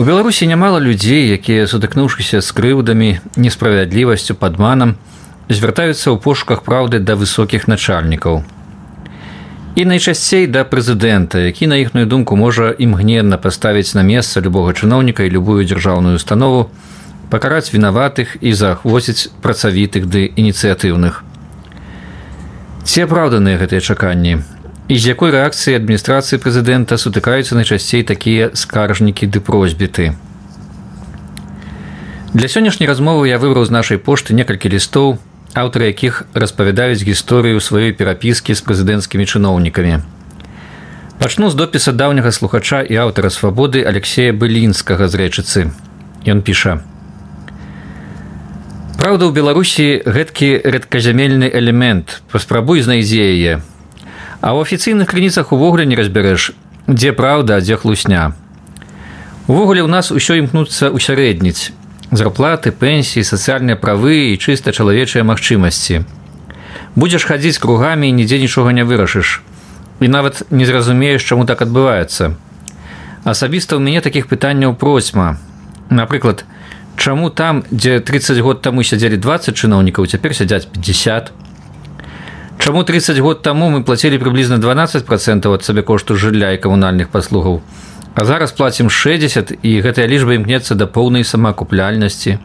У Беларусі нямала людзей, якія, сутыкнуўшыся з крыўдамі, несправядлівасцю, падманам, звяртаюцца ў пошуках праўды да высокіх начальнікаў. І найчасцей да прэзідэнта, які, на іхную думку, можа імгненна паставіць на месца любога чыноўніка і любую дзяржаўную установу, пакараць вінаватых і заахвоціць працавітых ды ініцыятыўных. Ці апраўданыя гэтыя чаканні? І з якой рэакцыі адміністрацыі прэзідэнта сутыкаюцца найчасцей такія скаржнікі ды просьбіты? Для сённяшняй размовы я выбраў з нашай пошты некалькі лістоў, аўтары якіх распавядаюць гісторыю сваёй перапіскі з прэзідэнцкімі чыноўнікамі. Пачну з допіса даўняга слухача і аўтара «Свабоды» Алексея Былінскага з Рэчыцы. Ён піша: «Праўда, у Беларусі гэткі рэдказямельны элемент, паспрабуй знайдзі яе. А ў афіцыйных крыніцах увогуле не разбярэш, дзе праўда, а дзе хлусня. Увогуле ў нас усё імкнуцца ўсярэдніць. Зарплаты, пенсіі, сацыяльныя правы і чыста чалавечыя магчымасці. Будзеш хадзіць кругамі і нідзе нічога не вырашыш. І нават не зразумееш, чаму так адбываецца. Асабіста ў мяне такіх пытанняў процьма. Напрыклад, чаму там, дзе 30 год таму сядзелі 20 чыноўнікаў, цяпер сядзяць 50? Чаму 30 год таму мы плацілі прыблізна 12% ад сабекошту жылля і камунальных паслугаў, а зараз плацім 60%, і гэтая лічба імкнецца да поўнай самаакупляльнасці?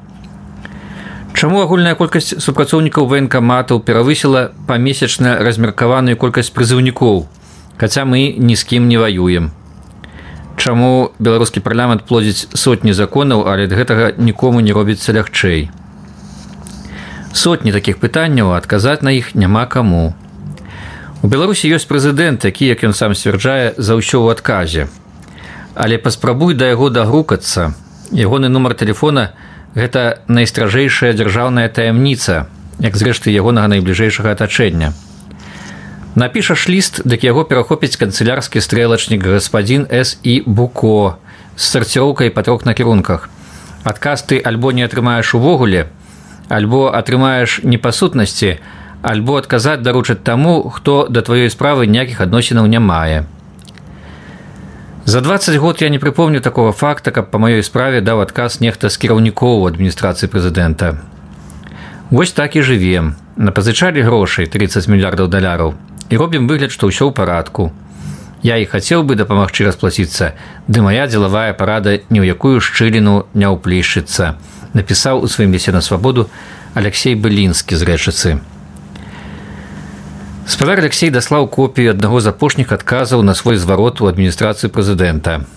Чаму агульная колькасць супрацоўнікаў ваенкаматаў перавысіла памесячна размеркаваную колькасць прызыўнікоў, хаця мы ні з кім не ваюем? Чаму беларускі парламент плодзіць сотні законаў, але ад гэтага нікому не робіцца лягчэй? Сотні такіх пытанняў, адказаць на іх няма каму. У Беларусі ёсць прэзідэнт, які, як ён сам сцвярджае, за ўсё ў адказе. Але паспрабуй да яго дагрукацца. Ягоны нумар тэлефона – гэта найстражэйшая дзяржаўная таямніца, як зрэшты ягонага найбліжэйшага атачэння. Напішаш ліст, дык яго перахопіць канцылярскі стрэлачнік гаспадзін С.І. Буко з сарціроўкай па 3 накірунках. Адказ ты альбо не атрымаеш увогуле, альбо атрымаеш не па сутнасці, альбо адказаць даручаць таму, хто да тваёй справы ніякіх адносінаў не мае. За 20 год я не прыпомню такого факта, каб па маёй справе даў адказ нехта з кіраўнікоў адміністрацыі прэзідэнта. Вось так і жывем. Напазычалі грошай 30 мільярдаў даляраў і робім выгляд, што ўсё ў парадку. Я і хацеў бы дапамагчы расплаціцца, ды мая дзелавая парада ні ў якую шчыліну не ўплішчыцца, напісаў у сваім лісце на «Свабоду» Алексей Былінскі з Рэчыцы. Спадар Алексей даслаў копію аднаго з апошніх адказаў на свой зварот у адміністрацыі прэзідэнта.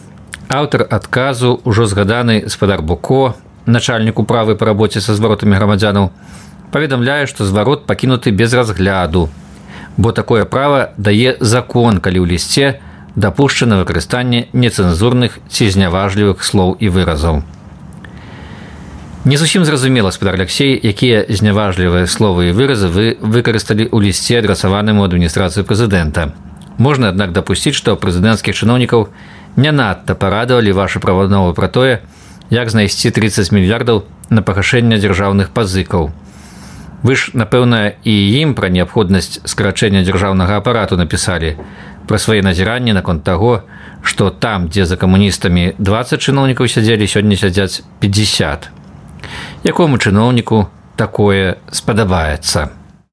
Аўтар адказу, ужо згаданы спадар Буко, начальнік управы па рабоце са зваротамі грамадзянаў, паведамляе, што зварот пакінуты без разгляду, бо такое права дае закон, калі ў лісце дапушчана выкарыстанне нецэнзурных ці зняважлівых слоў і выразаў. Не зусім зразумела, спадар Алексей, якія зняважлівыя словы і выразы вы выкарысталі ў лісце, адрасаваным у адміністрацыю прэзідэнта. Можна, аднак, дапусціць, што прэзідэнцкіх чыноўнікаў не надта парадавалі вашы правадновы пра тое, як знайсці 30 мільярдаў на пагашэнне дзяржаўных пазыкаў. Вы ж, напэўна, і ім пра неабходнасць скарачэння дзяржаўнага апарату напісалі, пра свае назіранні наконт таго, што там, дзе за камуністамі 20 чыноўнікаў сядзелі, сёння сядзяць 50. Якому чыноўніку такое спадабаецца?